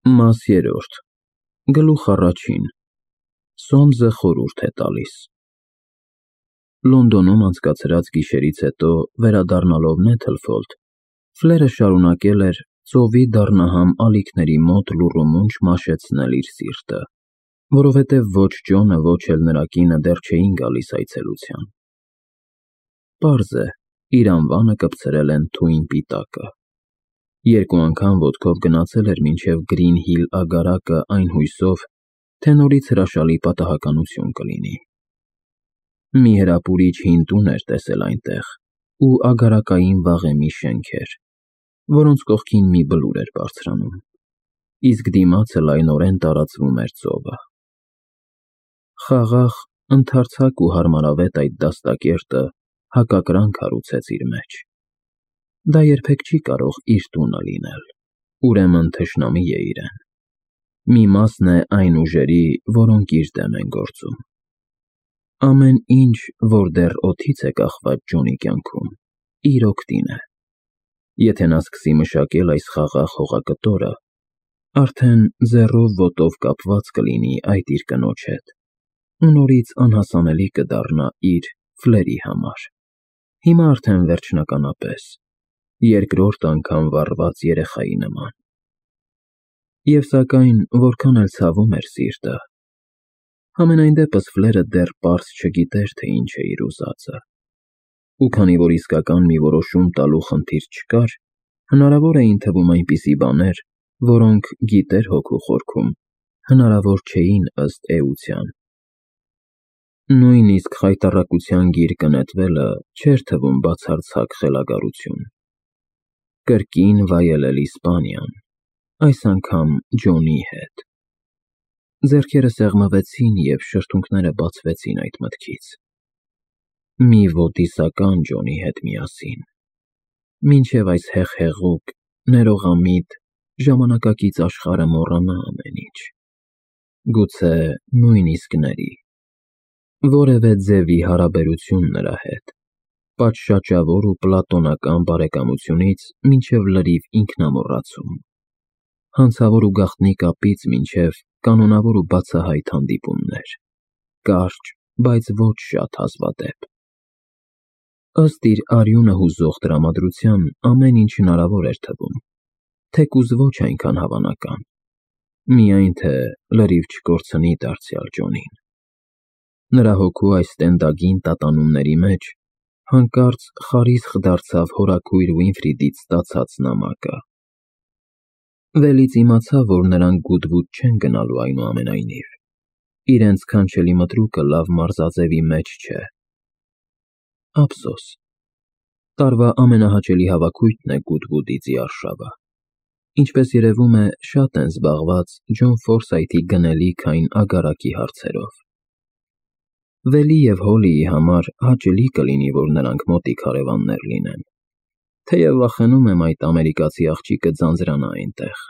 Մաս երրորդ Գլուխ առաջին Սոմզը խորհուրդ է տալիս Լոնդոնում անցկացրած գիշերից հետո վերադառնալով Նեթլֆոլդ, Ֆլերը շարունակել էր ծովի դառնահամ ալիքների մոտ լուռումունջ մաշեցնել իր սիրտը, որովհետև ոչ Ջոնը, ոչ էլ նրա կինը դեռ չէին գալիս այցելության։ Պարզ է, իր անվանը կպցրել են թույն պիտակը։ Երկու անգամ ոտքով գնացել էր մինչև Գրին Հիլ ագարակը այն հույսով, թե նորից հրաշալի պատահականություն կլինի։ Մի հրապուրիչ հին տուն էր տեսել այնտեղ ու ագարակային վաղեմի շենքեր, որոնց կողքին մի բլուր էր բարձրանում, իսկ դիմացը լայնորեն տարածվում էր ծովը։ Խաղաղ, ընդարձակ ու հարմարավետ այդ դաստակերտը հակակրանք հարուցեց իր մեջ։ Դա երբեք չի կարող իր տունը լինել, ուրեմն թշնամի է իրեն։ Մի մասն է այն ուժերի, որոնք իր դեմ են գործում։ Ամեն ինչ, որ դեռ օդից է կախված Ջոնի կյանքում, իր օգտին է։ Եթե նա սկսի մշակել այս խաղաղ հողակտորը, արդեն ձեռով ոտով կապված կլինի այդ իր կնոջ հետ, ու նորից անհասանելի կդառնա իր Ֆլերի համար։ Հիմա արդեն վերջնականապես, երկրորդ անգամ վառված երեխայի նման։ Եվ սակայն, որքան էլ ցավում էր սիրտը, համենայն դեպս Ֆլերը դեռ պարզ չգիտեր, թե ինչ է իր ուզածը։ Ու քանի որ իսկական մի որոշում տալու խնդիր չկար, հնարավոր էին թվում այնպիսի բաներ, որոնք, գիտեր հոգու խորքում, հնարավոր չէին ըստ էության։ Նույնիսկ խայտառակության գիրկը նետվելը չէր թվում բացարձակ խելագարություն։ Կրկին վայելել Իսպանիան, այս անգամ Ջոնի հետ։ Ձեռքերը սեղմվեցին և շրթունքները բացվեցին այդ մտքից։ Մի ոդիսական Ջոնի հետ միասին, մինչև այս հեղհեղուկ, ներողամիտ, ժամանակակից աշխարհը մոռանա ամեն ինչ։ Գուցե նույնիսկ ների։ Որևէ ձևի հարաբերություն նրա հետ, պատշաճավոր ու պլատոնական բարեկամությունից մինչև լրիվ ինքնամոռացում, հանցավոր ու գաղտնի կապից մինչև կանոնավոր ու բացահայտ հանդիպումներ, կարճ, բայց ոչ շատ հազվադեպ։ Ըստ իր արյունը հուզող տրամադրության ամեն ինչ հնարավոր էր թվում, թեկուզ ոչ այնքան հավանական, միայն թե լրիվ չկորցնի դարձյալ Ջոնին։ Նրա հոգու այս տենդագին տատանումների մեջ հանկարծ խարիսխ դարձավ հորաքույր Վինֆրիդից ստացած նամակը։ Վելից իմացա, որ նրանք գուտվուտ չեն գնալու այնուամենայնիվ, իրենց քանչելի մտրուկը լավ մարզաձևի մեջ չէ։ Ափսոս, տարվա ամենահաճելի հավաքույթն է Գուտվուդի արշավը։ Ինչպես երևում է, շատ են զբաղված Ջոն Ֆորսայթի գնելիք այն ագարակի հարցերով։ Վելի և Հոլիի համար հաճելի կլինի, որ նրանք մոտիկ հարևաններ լինեն, թեև վախենում եմ այդ ամերիկացի աղջիկը ձանձրանա այնտեղ։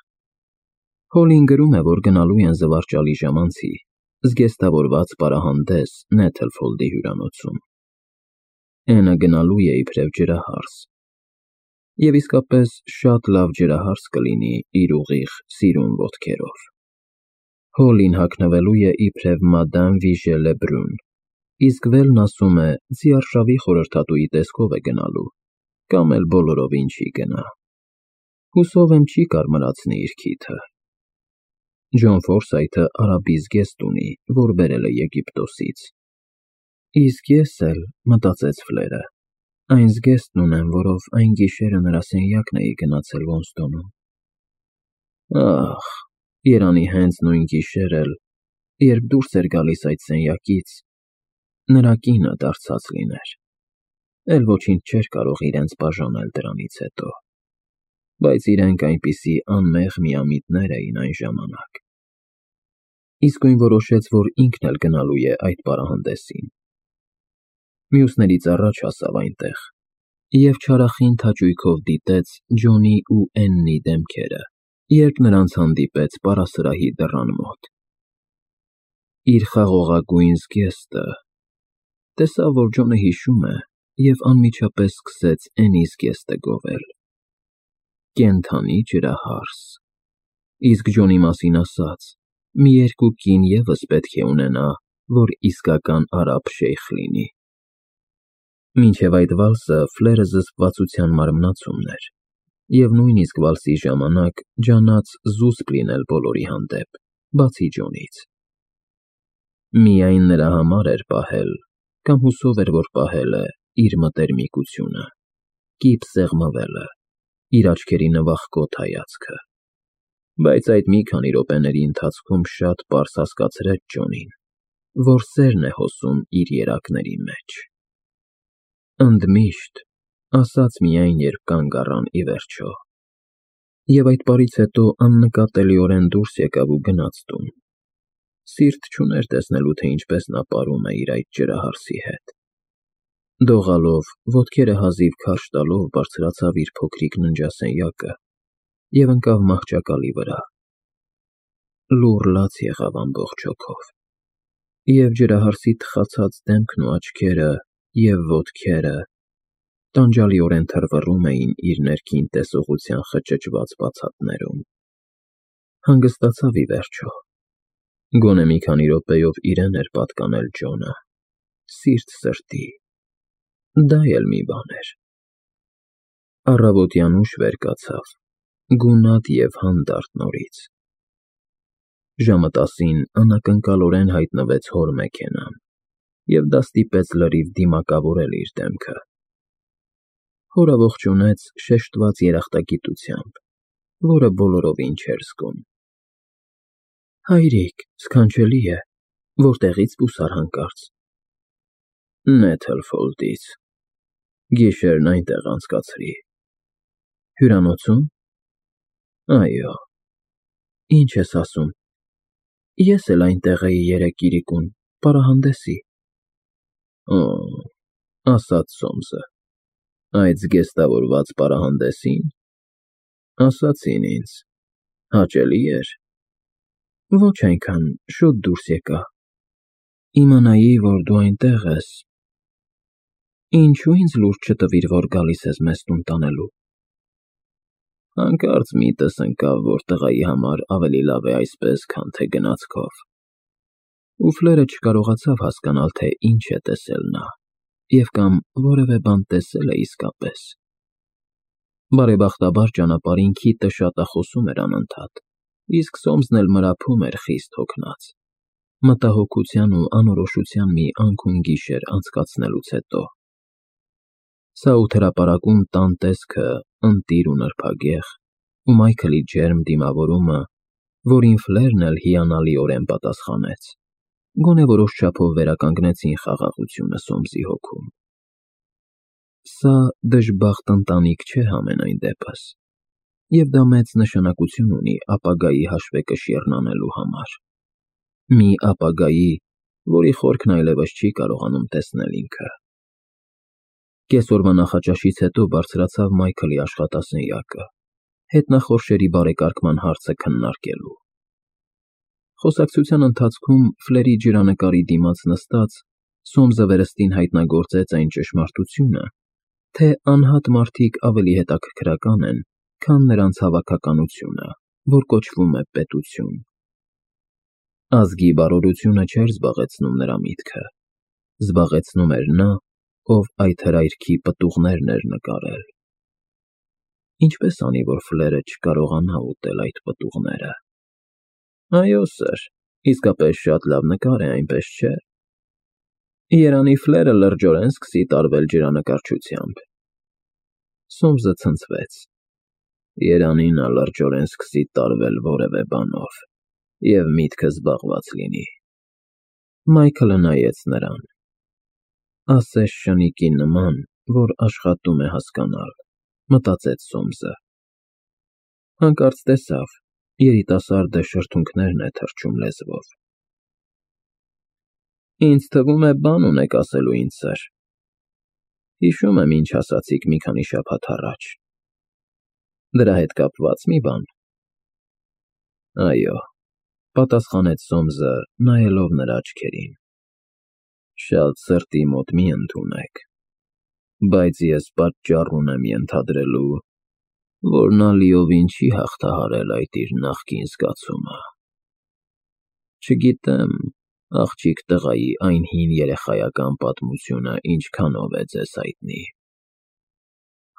Հոլին գրում է, որ գնալու են զվարճալի ժամանցի, զգեստավորված պարահանդես Նեթլֆոլդի հյուրանոցում։ Էնը գնալու է իբրև ջրահարս։ Եվ իսկապես շատ լավ ջրահարս կլինի իր ուղիղ սիրուն ոտքերով։ Հոլին հագնվելու է իբրև մադամ Վիժե Լեբրուն, իսկ Վելն ասում է, ձիարշավի խորհրդատուի տեսքով է գնալու, կամ էլ բոլորովին չի գնա։ Հուսով եմ չի կարմրացնի իր քիթը։ Ջոն Ֆորսայթը արաբի զգեստ ունի, որ բերել է Եգիպտոսից։ Իսկ ես էլ, մտածեց Ֆլերը, այն զգեստն ունեմ, որով այն գիշերը նրա սենյակն էի գնացել Ոստոնում։ Ահ, երանի հենց նույն գիշեր էլ, երբ դուրս էր գալիս այդ սենյակից, նրա կինը դարձած լիներ, էլ ոչինչ չէր կարող իրենց բաժանել դրանից հետո, բայց իրենք այնպիսի անմեղ միամիտներ էին այն ժամանակ։ Իսկույն որոշեց, որ ինքն էլ գնալու է այդ պարահանդեսին։ Մյուսներից առաջ հասավ այնտեղ և չարախինդ հաճույքով դիտեց Ջոնի ու Էննի դեմքերը, երբ նրանց հանդիպեց պարասրահի դռան մոտ։ Իր խաղողագույն զգեստը, տեսավ, որ Ջոնը հիշում է և անմիջապես սկսեց Էնի զգեստը գովել։ Կենդանի ջրահարս, Իսկ Ջոնի մասին ասած, մի երկու կին ևս պետք է ունենա, որ իսկական արաբ շեյխ լինի։ Մինչև այդ վալսը Ֆլերը զսպվածության մարմնացումն էր, և նույնիսկ վալսի ժամանակ ջանաց զուսպ լինել բոլորի հանդեպ, բացի Ջոնից։ Միայն նրա համար էր պահել, կամ հուսով էր, որ պահել է իր մտերմիկությունը, կիպ սեղմվելը, իր աչքերի նվախկոտ հայացքը։ Բայց այդ մի քանի րոպեների ընթացքում շատ պարզ հասկացրեց Ջոնին, որ սերն է հոսում իր երակների մեջ։ Ընդմիշտ, ասաց միայն, երբ կանգ առան ի վերջո։ Եվ այդ պարից հետո աննկատելիորեն դուրս եկավ ու գնաց տուն։ Սիրտ չուներ տեսնելու, թե ինչպես նա պարում է իր այդ ջրահարսի հետ։ Դողալով, ոտքերը հազիվ քարշ տալով բարձրացավ իր փոքրիկ ննջասենյակը և ընկավ մահճակալի վրա։ Լուռ լաց եղավ ամբողջ հոգով, և ջրահարսի թխացած դեմքն ու աչքերը և ոտքերը տանջալիորեն թրվռում էին իր ներքին տեսողության խճճված բացատներում։ Հանգստացավ ի վերջո։ Գոնե մի քանի րոպեով իրեն էր պատկանել Ջոնը, սիրտ սրտի, դա էլ մի բան էր։ Առավոտյան ուշ վեր կացավ, գունատ և հանդարտ նորից։ Ժամը 10-ին անակնկալորեն հայտնվեց հոր մեքենան, և դա ստիպեց լրիվ դիմակավորել իր դեմքը։ Հորը ողջունեց շեշտված երախտագիտությամբ, որը բոլորովին չէր զգում։ Հայրիկ, սքանչելի է, որտեղի՞ց պուսար հանկարծ։ Նեթլֆոլդից, գիշերն այնտեղ անցկացրի։ Հյուրանոցո՞ւմ։ Այո։ Ինչ ես ասում, ես էլ այնտեղ էի երեկ իրիկուն, պարահանդեսի։ Օ, ասաց Սոմսը, այդ զգեստավորված պարահանդեսի՞ն։ Ասացին ինձ, հաճելի էր։ Ոչ այնքան, շուտ դուրս եկա։ Իմանայի, որ դու այնտեղ ես։ Ինչու ինձ լուրջ չտվիր, որ գալիս ես մեզ տուն տանելու։ Հանկարծ միտս ընկավ, որ տղայի համար ավելի լավ է այսպես, քան թե գնացքով։ Ու Ֆլերը չկարողացավ հասկանալ, թե ինչ է տեսել նա, և կամ որևէ բան տեսել է իսկապես։ Բարեբախտաբար ճանապարհին քիթը շատախոսում էր անընդհատ, իսկ Սոմսն էլ մրափում էր խիստ հոգնած, մտահոգության ու անորոշության մի անքուն գիշեր անցկացնելուց հետո։ Սաութ հրապարակում տան տեսքը ընտիր ու նրբագեղ, ու Մայքլի ջերմ դիմավորումը, որին Ֆլերն էլ հիանալիորեն պատասխանեց, գոնե որոշ չափով վերականգնեցին խաղաղությունը Սոմսի հոգում։ Սա դժբախտ ընտանիք չէ համենայն դեպս, և դա մեծ նշանակություն ունի ապագայի հաշվեկշիռն անելու համար։ Մի ապագայի, որի խորքն այլևս չի կարողանում տեսնել ինքը։ Կեսօրվա նախաճաշից հետո բարձրացավ Մայքլի աշխատասենյակը, հետնախորշերի բարեկարգման հարցը քննարկելու։ Խոսակցության ընթացքում Ֆլերի ջրանկարի դիմաց նստած Սոմսը վերստին հայտնագործեց այն ճշմարտությունը, թե անհատ մարդիկ ավելի հետաքրքրական են, քան նրանց հավաքականությունը, որ կոչվում է պետություն։ Ազգի բարօրությունը չէր զբաղեցնում նրա միտքը, զբաղեցնում էր նա, ով այդ հրայրքի պտուղներն էր նկարել։ Ինչպես անի, որ Ֆլերը չկարողանա ուտել այդ պտուղները։ Այո, սըր, իսկապես շատ լավ նկար է, այնպես չէ։ Երանի Ֆլերը լրջորեն սկսի տարվել ջրանկարչությամբ։ Սոմսը ցնցվեց։ Երանի նա լրջորեն սկսի տարվել որևէ բանով, և միտքը զբաղված լինի։ Մայքլը նայեց նրան։ Ասես շնիկի նման, որ աշխատում է հասկանալ, մտածեց Սոմսը։ Հանկարծ տեսավ, երիտասարդը շրթունքներն է թռչում լեզվով։ Ինձ թվում է բան ունեք ասելու ինձ, սըր։ Հիշում եմ, ինչ ասացիք մի քանի շաբաթ առաջ։ Դրա հետ կապված մի բան։ Այո, պատասխանեց Սոմսը, նայելով նրա աչքերին։ Շատ սրտի մոտ մի ընդունեք, բայց ես պատճառ ունեմ ենթադրելու, որ նա լիովին չի հաղթահարել այդ իր նախկին զգացումը։ Չգիտեմ, աղջիկ տղայի այն հին երեխայական պատմությունը ինչքանով է ձեզ հայտնի։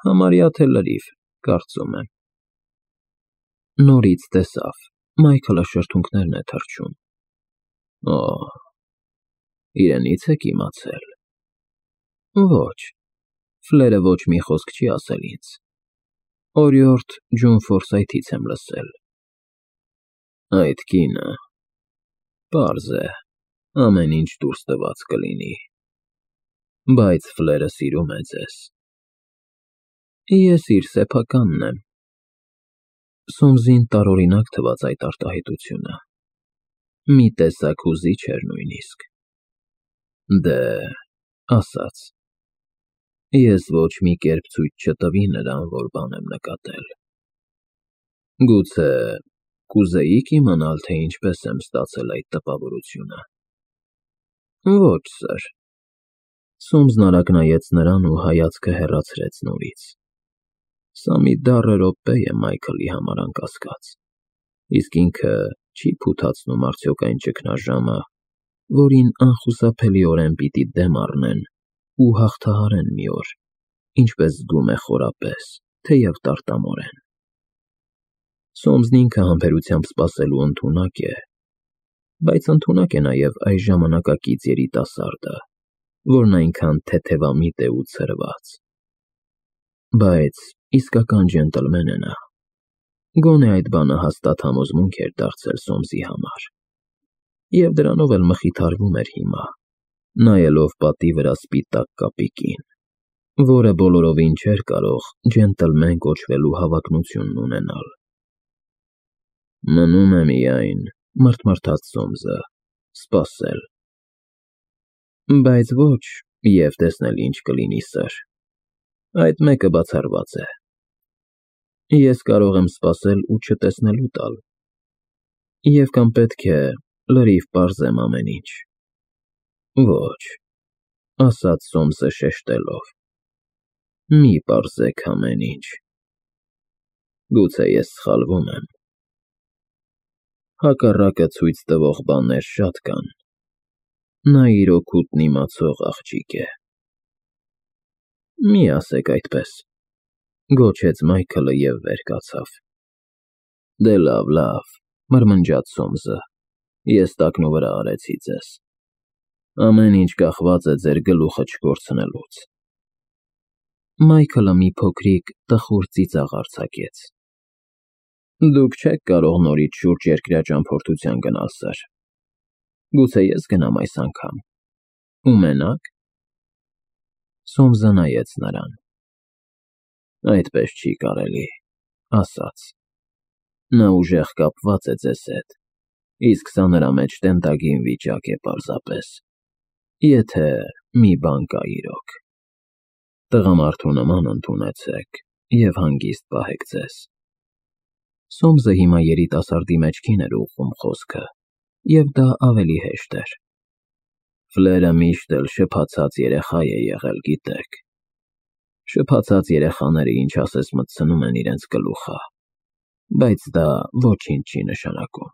Համարյա թե լրիվ, կարծում եմ։ Նորից տեսավ, Մայքլը շրթունքներն է թռչում։ Օ, իրենից եք իմացել։ Ոչ, Ֆլերը ոչ մի խոսք չի ասել ինձ։ Օրիորդ Ջոն Ֆորսայթից եմ լսել։ Այդ կինը, պարզ է, ամեն ինչ դուրս տված կլինի, բայց Ֆլերը սիրում է ձեզ։ Ես իր սեփականն եմ։ Սոմսին տարօրինակ թվաց այդ արտահայտությունը։ Մի տեսակ հուզիչ էր նույնիսկ։ Դե, ասաց։ Ես ոչ մի կերպ ցույց չտվի նրան, որ բան եմ նկատել։ Գուցե կուզեիք իմանալ, թե ինչպես եմ ստացել այդ տպավորությունը։ Ոչ, սըր։ Սոմսն արագ նայեց նրան ու հայացքը հեռացրեց նորից։ Սա մի դառը րոպե է Մայքլի համար անկասկած, իսկ ինքը չի փութացնում արդյոք այն ճգնաժամը, որին անխուսափելիորեն պիտի դեմ առնեն ու հաղթահարեն մի օր, ինչպես զգում է խորապես, թեև տարտամորեն։ Սոմսն ինքը համբերությամբ սպասելու ընդունակ է, բայց ընդունակ է նաև այս ժամանակակից երիտասարդը, որն այնքան թեթևամիտ է ու ցրված։ Բայց իսկական ջենտլմեն է նա։ Գոնե այդ բանը հաստատ համոզմունք էր դարձել Սոմսի համար։ Եվ դրանով էլ մխիթարվում էր հիմա, նայելով պատի վրա սպիտակ կապիկին, որը բոլորովին չէր կարող ջենտլմեն կոչվելու հավակնությունն ունենալ։ Մնում է միայն, մռթմռթաց Սոմսը, սպասել։ Բայց ոչ, և տեսնել ինչ կլինի, սըր։ Այդ մեկը բացառված է։ Ես կարող եմ սպասել ու չտեսնելու տալ։ Եվ կամ պետք է լրիվ պարզեմ ամեն ինչ։ Ոչ, ասաց Սոմսը շեշտելով։ Մի պարզեք ամեն ինչ։ Գուցե ես սխալվում եմ։ Հակառակը ցույց տվող բաներ շատ կան։ Նա իր օգուտն իմացող աղջիկ է։ Մի ասեք այդպես, գոչեց Մայքլը և վեր կացավ։ Դե լավ, մրմնջաց Սոմսը, ես տակնուվրա արեցի ձեզ։ Ամեն ինչ կախված է ձեր գլուխը չկորցնելուց։ Մայքլը մի փոքրիկ տխուր ծիծաղ արձակեց։ Դուք չեք կարող նորից շուրջերկրյա ճամփորդության գնալ, սըր։ Գուցե ես գնամ այս անգամ։ Ու մենակ։ Սոմսը նայեց նրան։ Այդպես չի կարելի, ասաց։ Նա ուժեղ կապված է ձեզ հետ, իսկ սա նրա մեջ տենտագին վիճակ է պարզապես, եթե մի բան կա իրոք։ Տղամարդու նման ընդունեցեք և հանգիստ պահեք ձեզ։ Սոմսը հիմա երիտասարդի մեջքին էր ուղղում խոսքը, և դա ավելի հեշտ էր։ Ֆլերը միշտ էլ շփացած երեխա է եղել, գիտեք։ Շփացած երեխաները ինչ ասես մտցնում են իրենց գլուխը, բայց դա ոչինչ չի նշանակում։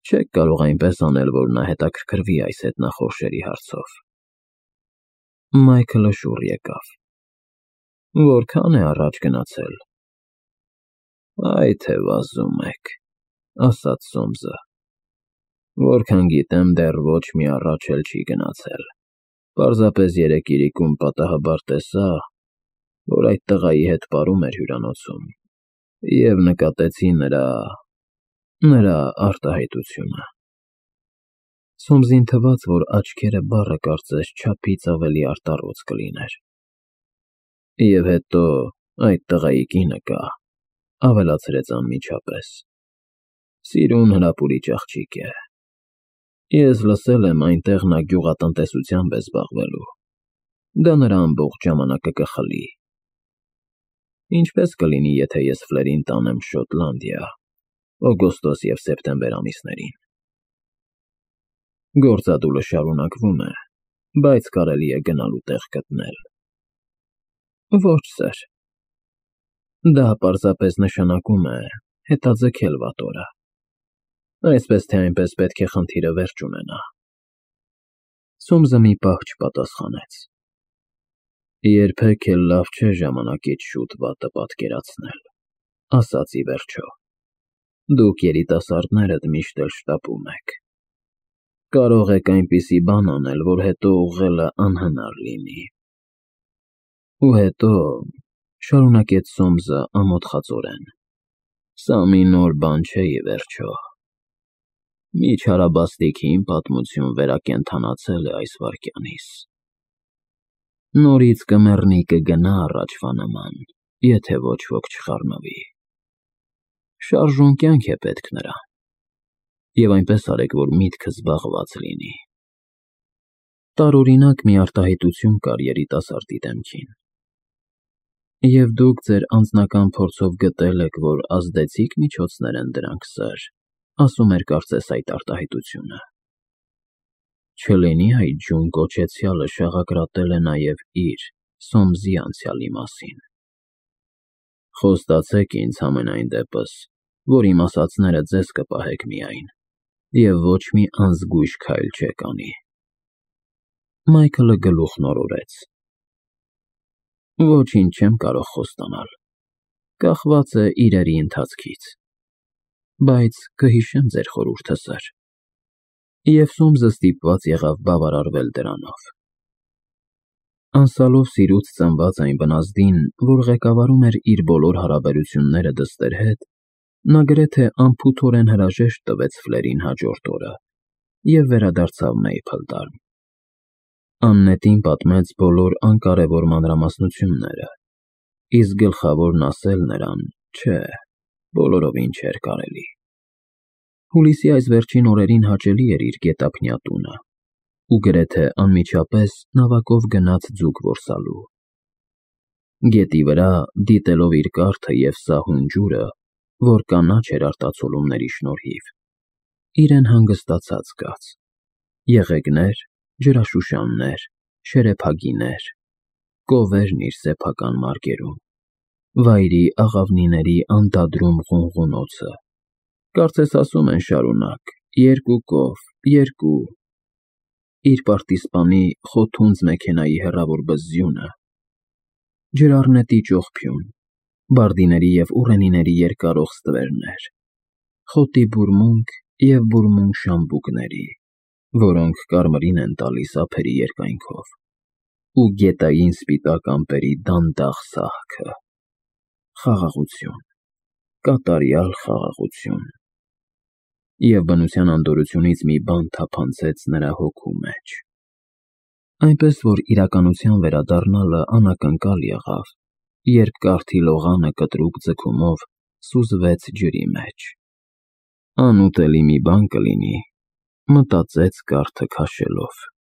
Չեք կարող այնպես անել, որ նա հետաքրքրվի այս հետնախորշերի հարցով։ Մայքլը շուռ եկավ։ Որքան է առաջ գնացել։ Այ թե վազում եք, ասաց Սոմսը։ Որքան գիտեմ, դեռ ոչ մի առաջ էլ չի գնացել։ Պարզապես երեկ իրիկում պատահաբար տեսա, որ այդ տղայի հետ պարում էր հյուրանոցում, և նկատեցի նրա արտահայտությունը։ Սոմսին թվաց, որ աչքերը բառը կարծես չափից ավելի արտառոց կլիներ։ Եվ հետո այդ տղայի կինը կա, ավելացրեց անմիջապես։ Սիրուն հրապուրիչ աղջիկ է։ Ես լսել եմ, այնտեղ նա գյուղատնտեսությամբ է զբաղվելու։ Դա նրա ամբողջ ժամանակը կխլի։ Ինչպես կլինի, եթե ես Ֆլերին տանեմ Շոտլանդիա, օգոստոս և սեպտեմբեր ամիսներին։ Գործադուլը շարունակվում է, բայց կարելի է գնալու տեղ գտնել։ Ոչ, սըր։ Դա պարզապես նշանակում է հետաձգել վատորը, այսպես թե այնպես պետք է խնդիրը վերջ ունենա։ Սոմսը մի պահ չպատասխանեց։ Երբեք էլ լավ չէ ժամանակից շուտ վատը պատկերացնել, ասաց ի վերջո։ Դուք երիտասարդներդ միշտ էլ շտապում եք։ Կարող եք այնպիսի բան անել, որ հետո ուղղելը անհնար լինի։ Ու հետո, շարունակեց Սոմսը ամոթխածորեն, սա մի նոր բան չէ ի վերջո։ Մի չարաբաստիկ հին պատմություն վերակենդանացել է այս վայրկյանիս։ Նորից կմեռնի կգնա առաջվա նման, եթե ոչ ոք չխառնվի։ Շարժուն կյանք է պետք նրան, և այնպես արեք, որ միտքը զբաղված լինի։ Տարօրինակ մի արտահայտություն կար երիտասարդի դեմքին։ Եվ դուք ձեր անձնական փորձով գտել եք, որ ազդեցիկ միջոցներ են դրանք, սըր, ասում էր կարծես այդ արտահայտությունը։ Չլինի այդ ջուն կոչեցյալը շաղակրատել է նաև իր, Սոմսի անցյալի մասին։ Խոստացեք ինձ համենայն դեպս, որ իմ ասածները ձեզ կպահեք միայն, և ոչ մի անզգույշ քայլ չեք անի։ Մայքլը գլուխն օրորեց։ Ոչինչ չեմ կարող խոստանալ, կախված է իրերի ընթացքից, բայց կհիշեմ ձեր խորհուրդը, սըր։ Եվ Սոմսը ստիպված եղավ բավարարվել դրանով։ Անսալով սիրուց ծնված այն բնազդին, որ ղեկավարում էր իր բոլոր հարաբերությունները դստեր հետ, նա գրեթե անփութորեն հրաժեշտ տվեց Ֆլերին հաջորդ օրը և վերադարձավ Մեյփլտարն։ Աննետին պատմեց բոլոր անկարևոր մանրամասնությունները, իսկ գլխավորն ասել նրան, չէ, բոլորովին չէր կարելի։ Հուլիսի այս վերջին օրերին հաճելի էր իր գետափնյա տունը, ու գրեթե անմիջապես նավակով գնաց ձուկ որսալու։ Գետի վրա, դիտելով իր կառքը և սահուն ջուրը, որ կանաչ էր արտացոլումների շնորհիվ, իրեն հանգստացած զգաց։ Եղեգներ, ջրաշուշաններ, շերեփագիներ, կովերն իր սեփական մարգերում, վայրի աղավնիների անդադրում ղունղունոցը, կարծես ասում են շարունակ, երկու կով, երկու, իր պարտիզպանի խոթունձ մեքենայի հեռավոր բզզյունը, ջրառնետի ճողփյուն, բարդիների և ուռենիների երկարող ստվերներ, խոտի բուրմունք և բուրմունք շամբուկների, որոնք կարմիրին են տալիս ափերի երկայնքով, ու գետային սպիտակ ամպերի դանդաղ սահքը։ Խաղաղություն, կատարյալ խաղաղություն։ Եվ բնության անդորրությունից մի բան թափանցեց նրա հոգու մեջ։ Այնպես որ իրականության վերադառնալը անակնկալ եղավ, երբ կառքի լողանը կտրուկ ձգումով սուզվեց ջրի մեջ։ Անուտելի մի բան կլինի, մտածեց կառքը քաշելով։